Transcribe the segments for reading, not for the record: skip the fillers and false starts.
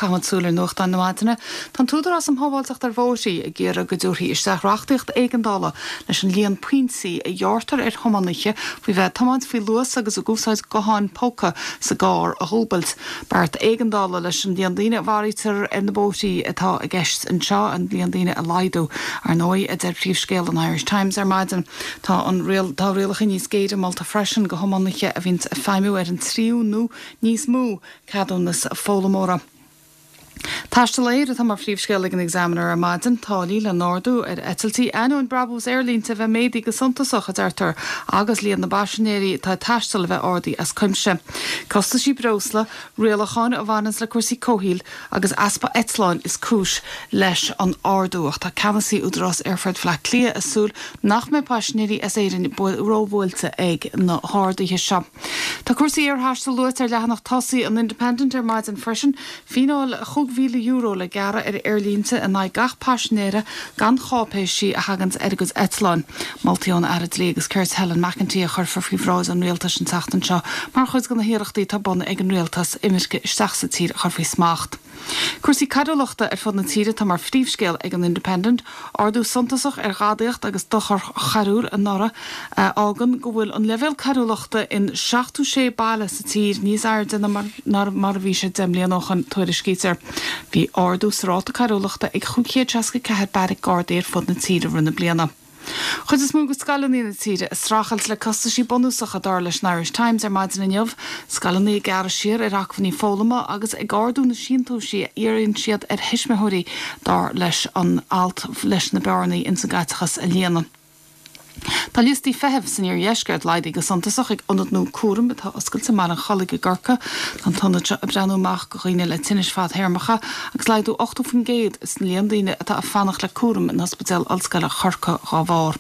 Caithfimid súil ar nuachtáin na maidine. Tá an tÚdarás um Shábháilteacht ar Bhóithrí ag iarraidh go dtabharfaí isteach reachtaíocht éigeandála leis an líon pointí a ghearrtar ar thiománaithe faoi bheith ag tiomáint faoi luas agus ag úsáid gutháin póca sa gcarr a dhúbailt. Beart éigeandála leis an líon daoine a mharaítear ar na bóithrí atá i gceist anseo, an líon daoine a laghdú, ar ndóigh, a deir príomhscéal an Irish Times ar maidin. Tá an tá rialacha níos géire molta freisin do thiománaithe a bhíonns ag feidhmiú ar an tríú nó níos mó ceadúnas foghlaimeora. Taisteal aeir atá mar phríomhscéal ag an Examiner ar maidin. Táillí le n-ardú ar eitiltí ainneoin brabús aerlínte a bheith méadaithe go suntasach, a deirtear, agus líon na bpaisinéirí atá ag taisteal a bheith ardaithe as cuimse. Costaisí breosla, rialacháin a bhaineanns le cúrsaí comhshaoil agus easpa eitleáin is cúis leis an ardú. Ach tá ceannasaí Údarás Aerfort Bhaile Átha Cliath ag súil nach mbeidh paisinéirí as Éirinn róbhuailte ag na harduithe seo. Tá cúrsaí aerthaistil luaite ar leathanach tosaigh an Independent ar maidin freisin. Fíneáil €5,000 le gearradh ar aerlínte in aghaidh gach paisinéara gan cháipéisí a thaganns ar a gcuid eitleáin. Moltaí ón Aire Dlí agus Cirt Helen McEntee a chuirfear faoi bhráid an Rialtais an tseachtain seo mar chuid de na hiarrachtaí atá ar bun ag an Rialtas imirce isteach sa tír a chur faoi smacht. Cúrsaí coiriúlachta ar fud na tíre atá mar phríomhscéal ag an Independent. Ardú suntasach ar ghadaíocht agus dochar choiriúil anuraidh a fhágann go bhfuil an leibhéal coiriúlachta in 76 baile sa tír níos airde ná mar a bhí sé 10 mbliana ó shoin, tuairiscítear. Bhí ardú sa ráta coiriúlachta ag 564 beairic Gardaí ar fud na tíre i rith na bliana. Chuid is mó de scoileanna na tíre ag streachailt le costaisí bunúsacha, dar leis an Irish Times ar maidin inniu. Scoileanna ag gearradh siar ar acmhainní foghlama agus ag ardú na síntiúisí a iarrann siad ar thuismitheoirí, dar leis an alt, leis na bearnaí ins an gcaiteachas a líonadh. Tá liostaí feithimh san iardheisceart laghdaithe go suntasach ag ionad nua cúraim atá oscailte i mBaile an Chollaigh i gCorcaigh. Tá an t-ionad seo ag breathnú amach do dhaoine le tinnis fadthéarmacha agus laghdú 80% san líon daoine atá ag fanacht le cúram in Ospidéal Ollscoile Chorcaí dhá bharr.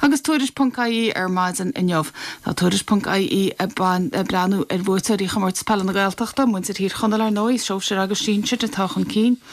Agus Tuairisc ponc ie ar maidin inniu. Tá Tuairisc ponc ie ag breathnú ar bhuaiteoirí Chomórtas Peile na Gaeltachta, muintir Thír Chonaill ar ndóigh, sóisir agus sinsir atá chun cinn.